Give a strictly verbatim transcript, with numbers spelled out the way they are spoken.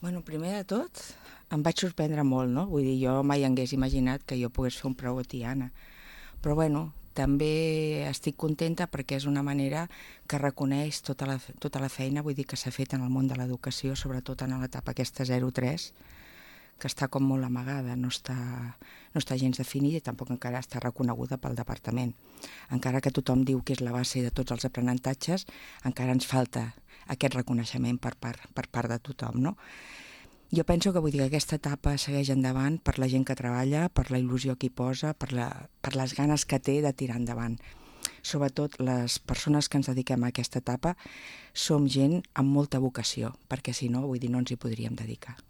Bueno, primer de tot, em vaig sorprendre molt, no? Vull dir, jo mai hagués imaginat que jo pogués fer un preu a Tiana. Però bueno, també estic contenta perquè és una manera que reconeix tota la, tota la feina, vull dir, que s'ha fet en el món de l'educació, sobretot en l'etapa aquesta zero tres, que està com molt amagada, no està, no està gens definida i tampoc encara està reconeguda pel departament. Encara que tothom diu que és la base de tots els aprenentatges, encara ens falta aquest reconeixement per part, per part de tothom, no? Jo penso que vull dir que aquesta etapa segueix endavant per la gent que treballa, per la il·lusió que hi posa, per, la, per les ganes que té de tirar endavant. Sobretot les persones que ens dediquem a aquesta etapa som gent amb molta vocació, perquè si no, vull dir, no ens hi podríem dedicar.